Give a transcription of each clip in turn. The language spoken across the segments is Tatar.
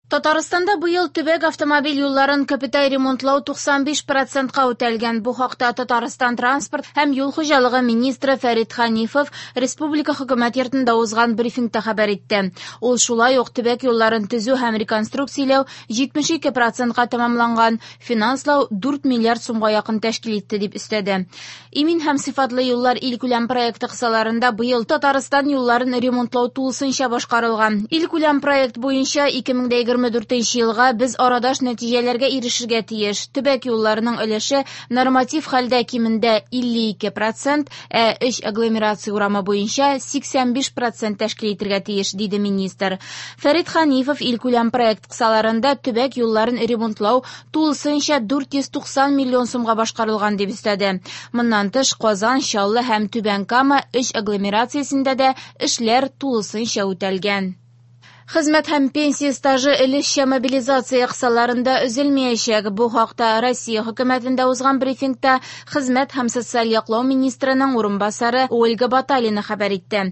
Татарстанда быел төбәк автомобиль юлларын капиталь ремонтлау 95 процентка үтәлгән. Бу хакта Татарстан транспорт һәм юл хуҗалыгы министры Фәрит Хәнифов республика хөкүмәт йортында узган брифингта хәбәр итте. Ул шулай ук төбәк юлларын төзү һәм реконструкцияләү 72 процентка тәмамланган, финанслау 4 миллиард сумга якын тәшкил итте дип өстәде. Имин һәм сыйфатлы юллар илкүләм проекты кысаларында быел Татарстан юлларын ремонтлау тулысынча башкарылган. Илкүләм проект буенча 2024 елга без арадаш нәтиҗәләргә ирешергә тиеш. Төбәк юлларының өлеше норматив хәлдә кимендә 52 процент, ә өч агломерация урамы буенча 85 процент тәшкил итергә тиеш, диде министр. Фәрит Хәнифов илкүләм проект кысаларында төбәк юлларын ремонтлау тулысынча 490 миллион сумга башкарылган дип өстәде. Моннан тыш, Казан, Чаллы һәм Түбән Кама өч агломерациясендә дә эшләр тулысынча үтәлгән. Хезмәт һәм пенсия стажы өлешчә мобилизация кысаларында өзелмәячәк. Бу хакта Россия хөкүмәтендә узган брифингта хезмәт һәм социаль яклау министрының урынбасары Ольга Баталина хәбәр итте.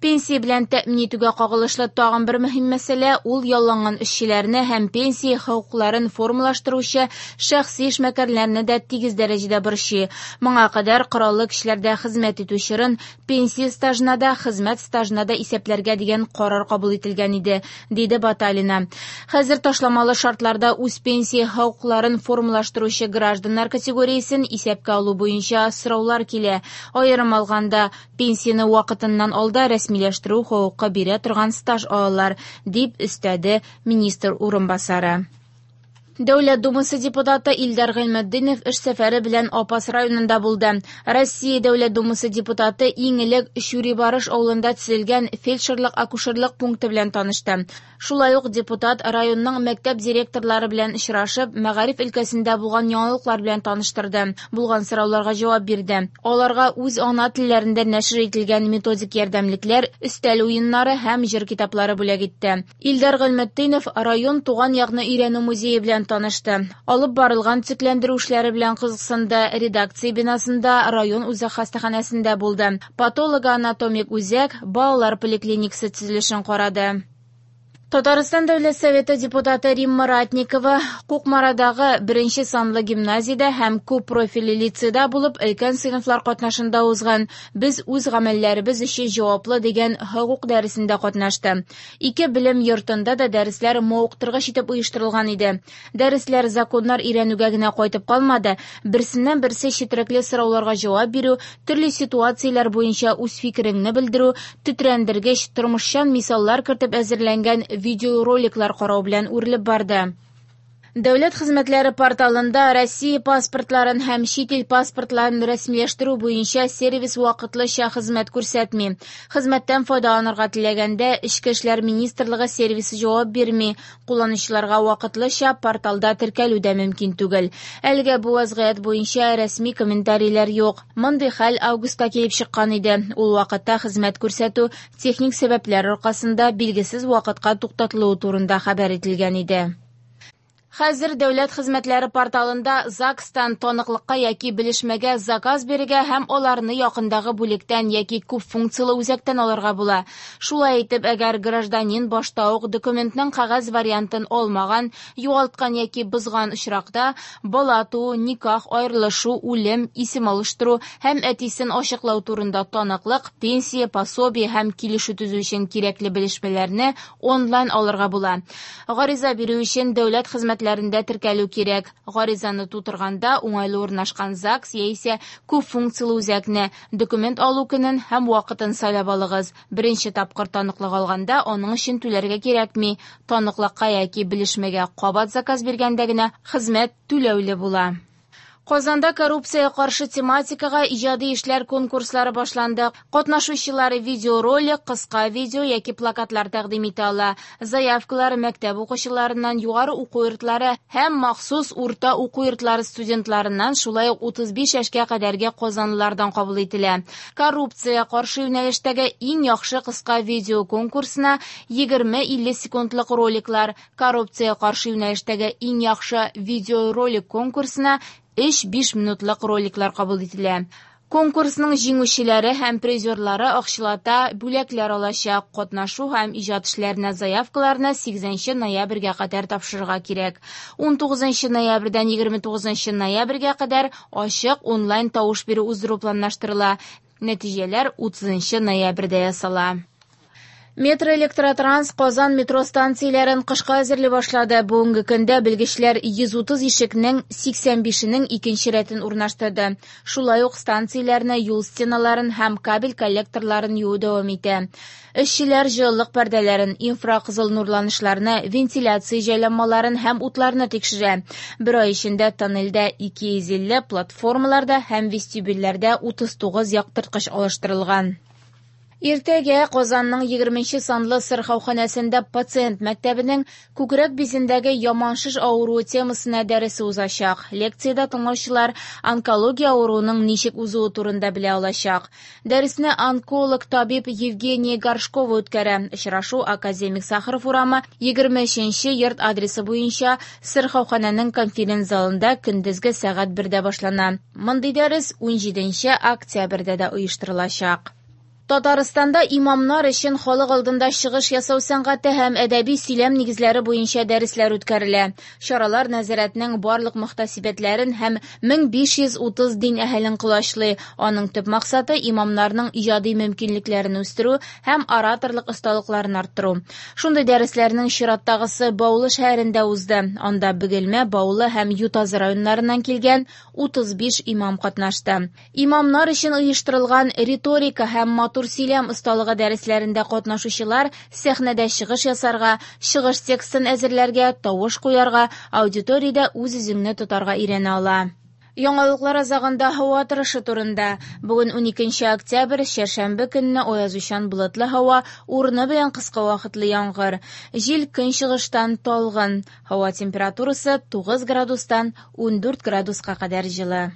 Пенсия белән тәэмин итүгә кагылышлы тагын бер мөһим мәсьәлә ул ялланган эшчеләрне һәм пенсия хокукларын формалаштыручы шәхси эшмәкәрләрне дә тигез дәрәҗәдә борчый. Моңа кадәр кораллы көчләрдә хезмәт итү чорын пенсия стажына да, хезмәт стажына да исәпләргә дигән карар кабул ителгән иде, диде Баталина. Хәзер ташламалы шартларда үз пенсия хокукларын формалаштыручы гражданнар категориясен исәпкә алу буенча сораулар килә. Аерым алганда, пенсияне вакытыннан алда рәсмиләштерү хокукы бирә торган стаж алалар, дип өстәде министр урынбасары. Дәүләт Думасы депутаты Илдар Гыйльметдинов эш сәфәре белән Апас районында булды. Россия Дәүләт Думасы депутаты иң элек Чүрибарыш авылында төзелгән фельдшерлык-акушерлык пункты белән танышты. Шулай ук депутат районның мәктәп директорлары белән очрашып, мәгариф өлкәсендә булган яңалыклар белән таныштырды, булган сорауларга җавап бирде. Аларга үз ана телләрендә нәшер ителгән методик ярдәмлекләр, өстәл уеннары һәм җыр китаплары бүләк итте. Илдар Гыйльметдинов район туган якны өйрәнү музее белән танышты. Алып барылган төзекләндерү эшләре белән кызыксынды. Редакция бинасында, район үзәк хастаханәсендә булды. Патологоанатомик үзәк, балалар поликлиникасы төзелешен карады. Татарстан Дәүләт Советы депутаты Римма Ратникова Кукмарадагы беренче санлы гимназиядә һәм күп профильле лицейда булып, өлкән сыйныфлар катнашында узган «Без үз гамәлләребез өчен җаваплы» дигән хокук дәресендә катнашты. Ике белем йортында да дәресләр мавыктыргыч итеп оештырылган иде. Дәресләр законнар өйрәнүгә генә кайтып калмады, берсеннән берсе четерекле сорауларга җавап бирү, төрле ситуацияләр буенча үз фикереңне белдерү, тетрәндергеч, тормышчан мисаллар кертеп әзерләнгән видеороликлар карау белән үрелеп барды. Дәүләт хезмәтләре порталында Россия паспортларын һәм чит ил паспортларын рәсмиләштерү буенча сервис вакытлыча хезмәт күрсәтми. Хезмәттән файдаланырга теләгәндә Эчке эшләр министрлыгы сервисы җавап бирми. Кулланучыларга вакытлыча порталда теркәлү дә мөмкин түгел. Әлегә бу вазгыять буенча рәсми комментарийлар юк. Мондый хәл августта килеп чыккан иде. Ул вакытта хезмәт күрсәтү техник сәбәпләр аркасында билгесез вакытка туктатылуы турында хәбәр ителгән иде. Хәзер дәүләт хезмәтләре порталында ЗАГСтан таныклыкка яки белешмәгә заказ бирергә һәм аларны якындагы бүлектән яки күп функцияле үзәктән алырга була. Шулай итеп, әгәр гражданин башта ук документның кәгазь вариантын алмаган, югалткан яки бозган очракта, бала туу, никах, аерылышу, үлем, исем алыштыру һәм әтисен ачыклау турында таныклык, пенсия, пособие һәм килешү төзү өчен кирәкле белешмәләрне онлайн алырга була. Гариза бирү өчен дәүләт хезмәтләрендә теркәлү кирәк. Гаризаны тутырганда уңайлы урнашкан ЗАГС яисә күп функцияле үзәкне, документ алу көнен һәм вакытын сайлап алыгыз. Беренче тапкыр таныклык алганда аның өчен түләргә кирәкми. Таныклыкка яки белешмәгә кабат заказ биргәндә генә хезмәт түләүле була. Казанда коррупция каршы тематикага иҗади эшләр конкурслары башланды. Катнашучылар видеоролик, кыска видео яки плакатлар тәкъдим итә ала. Заявкалар мәктәп укучыларыннан, югары уку йортлары һәм махсус урта уку йортлары студентларыннан, шулай ук 35 яшькә кадәрге казанлылардан кабул ителә. Коррупция каршы юнәлештәге иң яхшы кыска видео конкурсына 20-50 секундлык роликлар, коррупция каршы юнәлештәге иң яхшы видеоролик конкурсына 3-5 минутлык роликлар кабул ителә. Конкурсның җиңүчеләре һәм призерлары акчалата бүләкләр алачак. Катнашу һәм иҗат эшләренә заявкаларны 8 ноябрьгә кадәр тапшырырга кирәк. 19 ноябрьдән 29 ноябрьгә кадәр ачык онлайн тавыш бирү уздыру планлаштырыла. Нәтиҗәләр 30 ноябрьдә ясала. Метроэлектротранс Казан метро станцияләрен кышка әзерли башлады. Бүгенге көндә белгечләр 130 ишекнең 85-енең икенче рәтен урнаштырды. Шулай ук станцияләрне, юл стеналарын һәм кабель коллекторларын юу дәвам итә. Эшчеләр җылылык пәрдәләрен, инфракызыл нурланышларны, вентиляция җайланмаларын һәм утларны тикшерә. Бер ай эчендә тоннельдә 250, платформаларда һәм вестибюльләрдә 39 яктырткыч алыштырылган. Иртәгә Казанның 20 санлы сырхауханәсендә пациент мәктәбенең күкрәк бизендәге яман шеш авыруы темасына дәресе узачак. Лекциядә тыңлаучылар онкология авыруының ничек узуы турында белә алачак. Дәресне онколог табиб Евгения Горшкова үткәрә. Очрашу Академик Сахаров урамы 23 йорт адресы буенча сырхауханәнең конференц-залында көндезге сәгать 1дә башлана. Мондый дәрес 17 октябрьдә дә оештырылачак. Татарстанда имамнар өчен халык алдында чыгыш ясау сәнгате һәм әдәби сөйләм нигезләре буенча дәресләр үткәрелә. Чаралар нәзарәтнең барлык мөхтәсибәтләрен һәм 1530 дин әһелен колачлый. Аның төп максаты имамнарның иҗади мөмкинлекләрен үстерү һәм ораторлык осталыкларын арттыру. Шундый дәресләрнең чираттагысы Баулы шәһәрендә узды. Анда Бөгелмә, Баулы һәм Ютазы районнарыннан килгән 35 имам катнашты. Имамнар өчен оештырылган риторика һәм матур сөйләм осталыгы дәресләрендә катнашучылар сәхнәдә чыгыш ясарга, чыгыш текстын әзерләргә, тавыш куярга, аудиториядә үз-үзеңне тотарга өйрәнә ала. Яңалыклар азагында һава торышы турында. Бүген 12 октябрь, чәршәмбе көнне аязучан болытлы һава, урыны белән кыска вакытлы яңгыр. Җил көнчыгыштан талгын. Һава температурасы 9 градустан 14 градуска кадәр җылы.